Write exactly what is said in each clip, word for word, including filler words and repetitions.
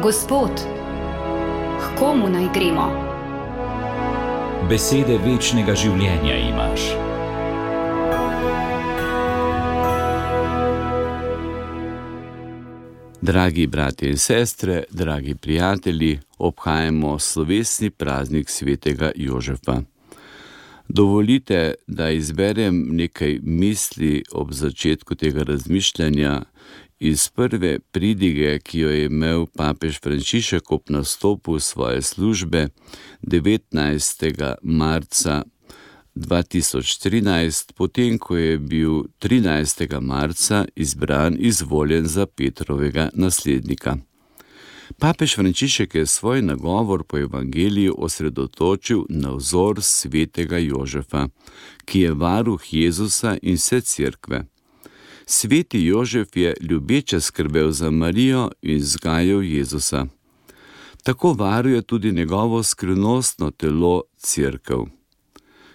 Gospod, k komu naj gremo? Besede večnega življenja imaš. Dragi bratje in sestre, dragi prijatelji, obhajamo slovesni praznik svetega Jožefa. Dovolite, da izberem nekaj misli ob začetku tega razmišljanja iz prve pridige, ki jo je imel papež Frančišek ob nastopu svoje službe devetnajstega marca dva tisoč trinajst, potem ko je bil trinajstega marca izbran, izvoljen za Petrovega naslednika. Papež Frančišek je svoj nagovor po evangeliju osredotočil na vzor svetega Jožefa, ki je varuh Jezusa in vse cerkve. Sveti Jožef je ljubeče skrbel za Marijo in vzgajal Jezusa. Tako varuje tudi njegovo skrivnostno telo cerkev.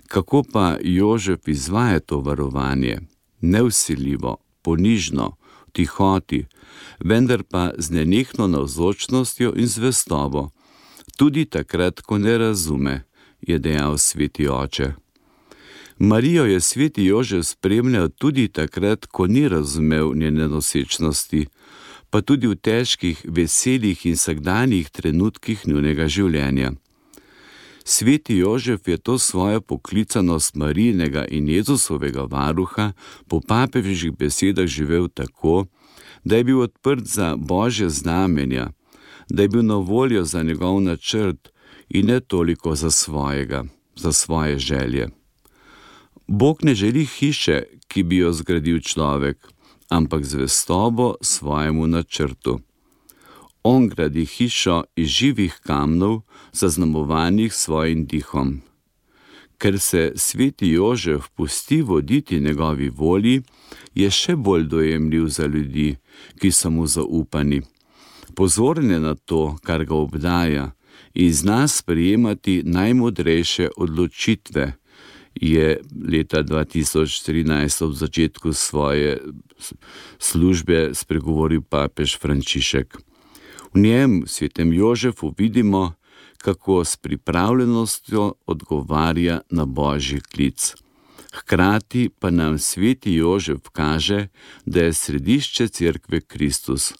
Kako pa Jožef izvaja to varovanje? Nevsiljivo, ponižno, v tihoti, vendar pa z nenehno navzočnostjo in zvestobo. Tudi takrat, ko ne razume, je dejal sveti oče. Marijo je sveti Jožef spremljal tudi takrat, ko ni razumel njene nosečnosti, pa tudi v težkih, veselih in vsakdanjih trenutkih njunega življenja. Sveti Jožef je to svojo poklicanost Marijinega in Jezusovega varuha po papežih besedah živel tako, da je bil odprt za Božje znamenja, da je bil na voljo za njegov načrt in ne toliko za svojega, za svoje želje. Bog ne želi hiše, ki bi jo zgradil človek, ampak zvestobo svojemu načrtu. On gradi hišo iz živih kamnov, zaznamovanih svojim dihom. Ker se sveti Jožef pusti voditi njegovi volji, je še bolj dojemljiv za ljudi, ki so mu zaupani. Pozoren je na to, kar ga obdaja, in zna sprejemati najmodrejše odločitve, je leta dva tisoč trinajst ob začetku svoje službe spregovoril papež Frančišek. V njem, svetem Jožefu, vidimo, kako s pripravljenostjo odgovarja na Božji klic. Hkrati pa nam sveti Jožef kaže, da je središče cerkve Kristus.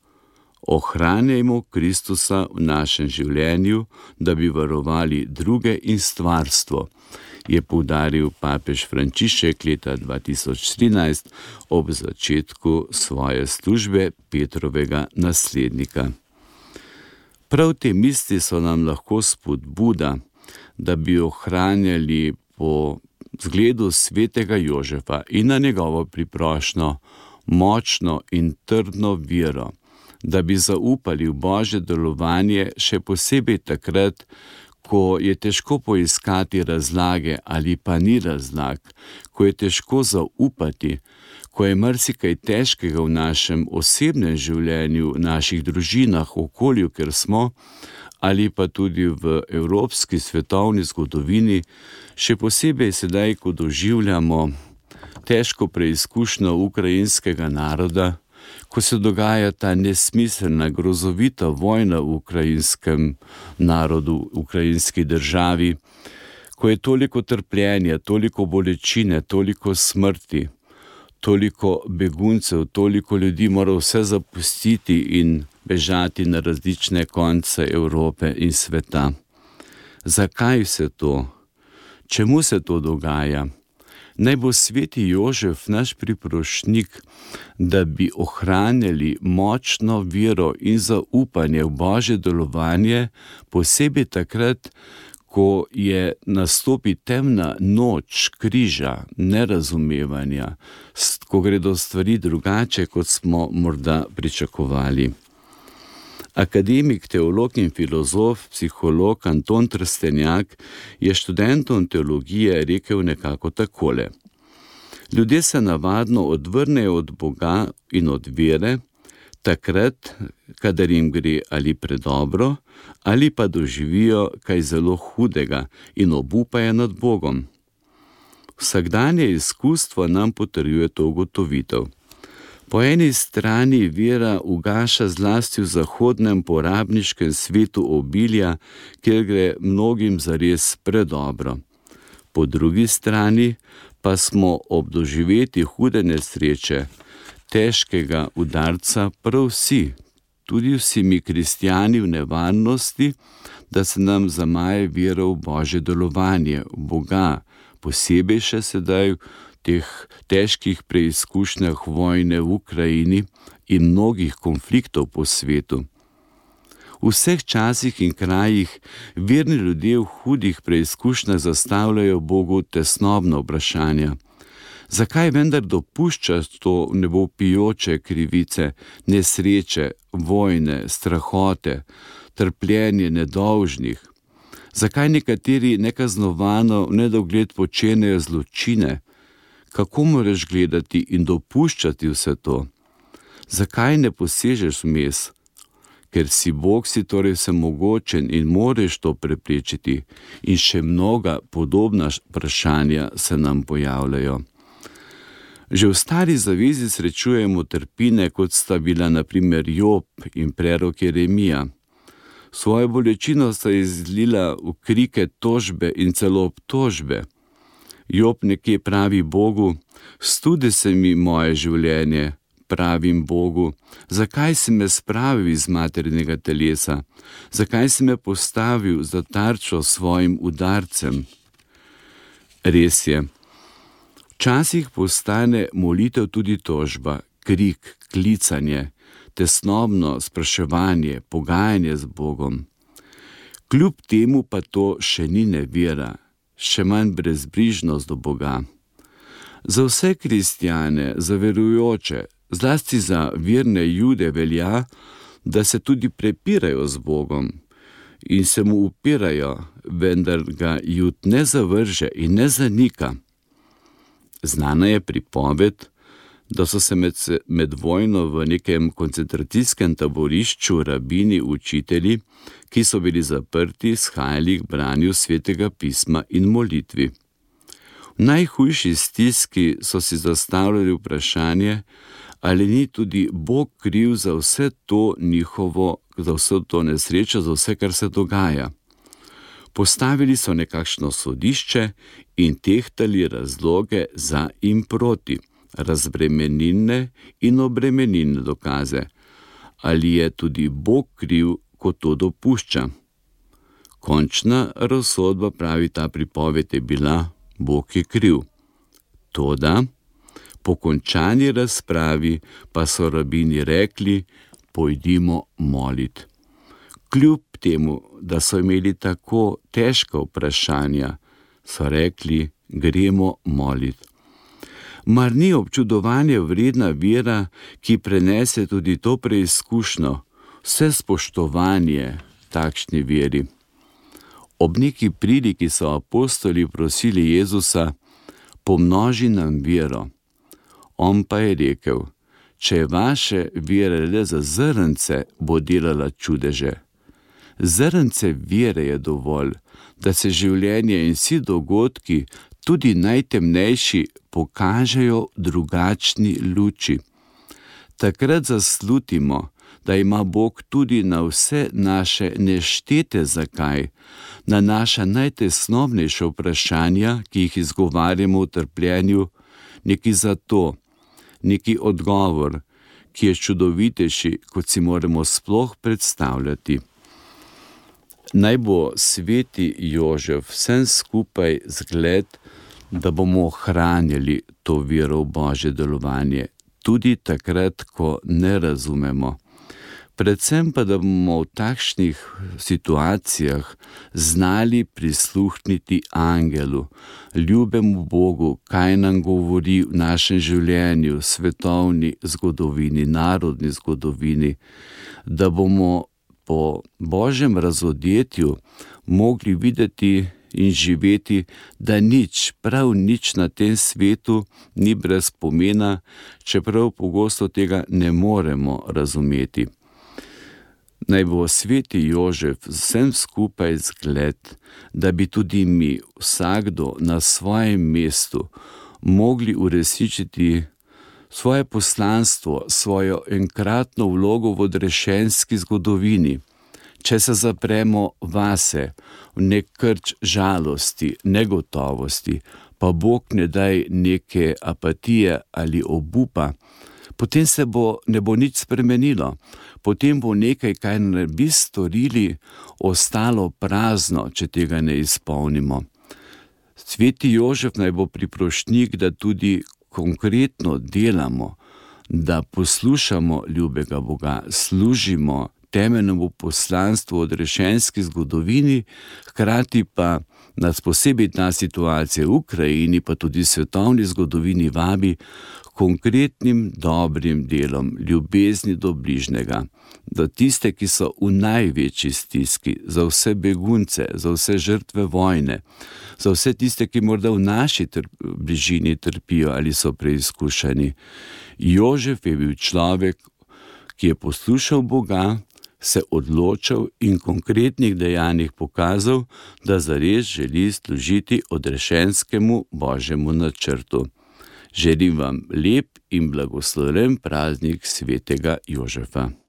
Ohranjajmo Kristusa v našem življenju, da bi varovali druge in stvarstvo, je poudaril papež Frančišek leta dva tisoč trinajst ob začetku svoje službe Petrovega naslednika. Prav te misli so nam lahko spodbuda, da bi ohranjali po zgledu svetega Jožefa in na njegovo priprošnjo močno in trdno vero, da bi zaupali v Božje delovanje še posebej takrat, ko je težko poiskati razlage ali pa ni razlag, ko je težko zaupati, ko je marsikaj težkega v našem osebnem življenju, v naših družinah, v okolju, kjer smo, ali pa tudi v evropski svetovni zgodovini, še posebej sedaj, ko doživljamo težko preizkušnjo ukrajinskega naroda, ko se dogaja ta nesmiselna, grozovita vojna v ukrajinskem narodu, v ukrajinski državi, ko je toliko trpljenja, toliko bolečine, toliko smrti, toliko beguncev, toliko ljudi mora vse zapustiti in bežati na različne konce Evrope in sveta. Zakaj vse to? Čemu se to dogaja? Naj bo sveti Jožef naš priprošnjik, da bi ohranjali močno vero in zaupanje v Božje delovanje, posebej takrat, ko je nastopi temna noč križa, nerazumevanja, ko gredo stvari drugače, kot smo morda pričakovali. Akademik, teolog in filozof, psiholog Anton Trstenjak je študentom teologije rekel nekako takole. Ljudje se navadno odvrnejo od Boga in od vere, takrat, kadar jim gre ali predobro, ali pa doživijo kaj zelo hudega in obupajo nad Bogom. Vsakdanje izkustvo nam potrjuje to ugotovitev. Po eni strani vera ugaša zlasti v zahodnem porabniškem svetu obilja, kjer gre mnogim zares predobro. Po drugi strani pa smo ob doživeti hude nesreče, težkega udarca prav vsi, tudi vsi mi kristjani v nevarnosti, da se nam zamaje vera v Božje delovanje, v Boga, posebej še sedaj v teh težkih preizkušnjah vojne v Ukrajini in mnogih konfliktov po svetu. V vseh časih in krajih verni ljudje v hudih preizkušnjah zastavljajo Bogu tesnobna vprašanja. Zakaj vendar dopušča to nebopijoče krivice, nesreče, vojne, strahote, trpljenje nedolžnih? Zakaj nekateri nekaznovano v nedogled počenejo zločine? Kako moraš gledati in dopuščati vse to? Zakaj ne posežeš vmes? Ker si Bog, si torej vsemogočen in moreš to preprečiti. In še mnoga podobna vprašanja se nam pojavljajo. Že v Stari zavezi srečujemo trpine, kot sta bila na primer Job in prerok Jeremija. Svojo bolečino sta izlila v krike tožbe in celo obtožbe. Job nekje pravi Bogu: studi se mi moje življenje, pravim Bogu, zakaj si me spravil iz materinega telesa, zakaj si me postavil za tarčo svojim udarcem. Res je, včasih postane molitev tudi tožba, krik, klicanje, tesnobno spraševanje, pogajanje z Bogom. Kljub temu pa to še ni nevera, še manj brezbrižnost do Boga. Za vse kristjane, za verujoče, zlasti za verne Jude velja, da se tudi prepirajo z Bogom in se mu upirajo, vendar ga Jud ne zavrže in ne zanika. Znana je pripoved, da so se med, med vojno v nekem koncentracijskem taborišču rabini učitelji, ki so bili zaprti, shajali k branju svetega pisma in molitvi. V najhujši stiski so si zastavljali vprašanje, ali ni tudi Bog kriv za vse to njihovo, za vse to nesrečo, za vse, kar se dogaja. Postavili so nekakšno sodišče in tehtali razloge za in proti, razbremenilne in obremenilne dokaze. Ali je tudi Bog kriv, ko to dopušča? Končna razsodba, pravi ta pripoved, je bila: Bog je kriv. Toda po končani razpravi pa so rabini rekli: pojdimo molit. Kljub temu, da so imeli tako težka vprašanja, so rekli: gremo molit. Mar ni občudovanje vredna vera, ki prenese tudi to preizkušnjo, vse spoštovanje takšni veri? Ob neki priliki so apostoli prosili Jezusa: pomnoži nam vero. On pa je rekel: če je vaše vere le za zrnce, bo delala čudeže. Zrnce vere je dovolj, da se življenje in vsi dogodki, tudi najtemnejši, pokažejo drugačni luči. Takrat zaslutimo, da ima Bog tudi na vse naše neštete zakaj, na naša najtesnobnejša vprašanja, ki jih izgovarjamo v trpljenju, neki zato, neki odgovor, ki je čudovitejši, kot si moramo sploh predstavljati. Naj bo sveti Jožef vsem skupaj zgled, da bomo ohranjali to vero v Božje delovanje, tudi takrat, ko ne razumemo. Predvsem pa, da bomo v takšnih situacijah znali prisluhniti angelu, ljubemu Bogu, kaj nam govori v našem življenju, svetovni zgodovini, narodni zgodovini, da bomo po Božjem razodetju mogli videti in živeti, da nič, prav nič na tem svetu ni brez pomena, čeprav pogosto tega ne moremo razumeti. Naj bo sveti Jožef vsem skupaj zgled, da bi tudi mi, vsakdo na svojem mestu, mogli uresničiti svoje poslanstvo, svojo enkratno vlogo v odrešenski zgodovini. Če se zapremo vase, v nek krč žalosti, negotovosti, pa Bog ne daj neke apatije ali obupa, potem se bo, ne bo nič spremenilo. Potem bo nekaj, kaj ne bi storili, ostalo prazno, če tega ne izpolnimo. Sveti Jožef naj bo priprošnjik, da tudi konkretno delamo, da poslušamo ljubega Boga, služimo temeljnemu poslanstvu v odrešenski zgodovini, hkrati pa nas posebej ta situacija v Ukrajini, pa tudi svetovni zgodovini vabi konkretnim dobrim delom, ljubezni do bližnjega, do tiste, ki so v največji stiski, za vse begunce, za vse žrtve vojne, za vse tiste, ki morda v naši trp, bližini trpijo ali so preizkušeni. Jožef je bil človek, ki je poslušal Boga, se odločil in konkretnih dejanjih pokazal, da zares želi služiti odrešenskemu Božjemu načrtu. Želim vam lep in blagoslovljen praznik svetega Jožefa.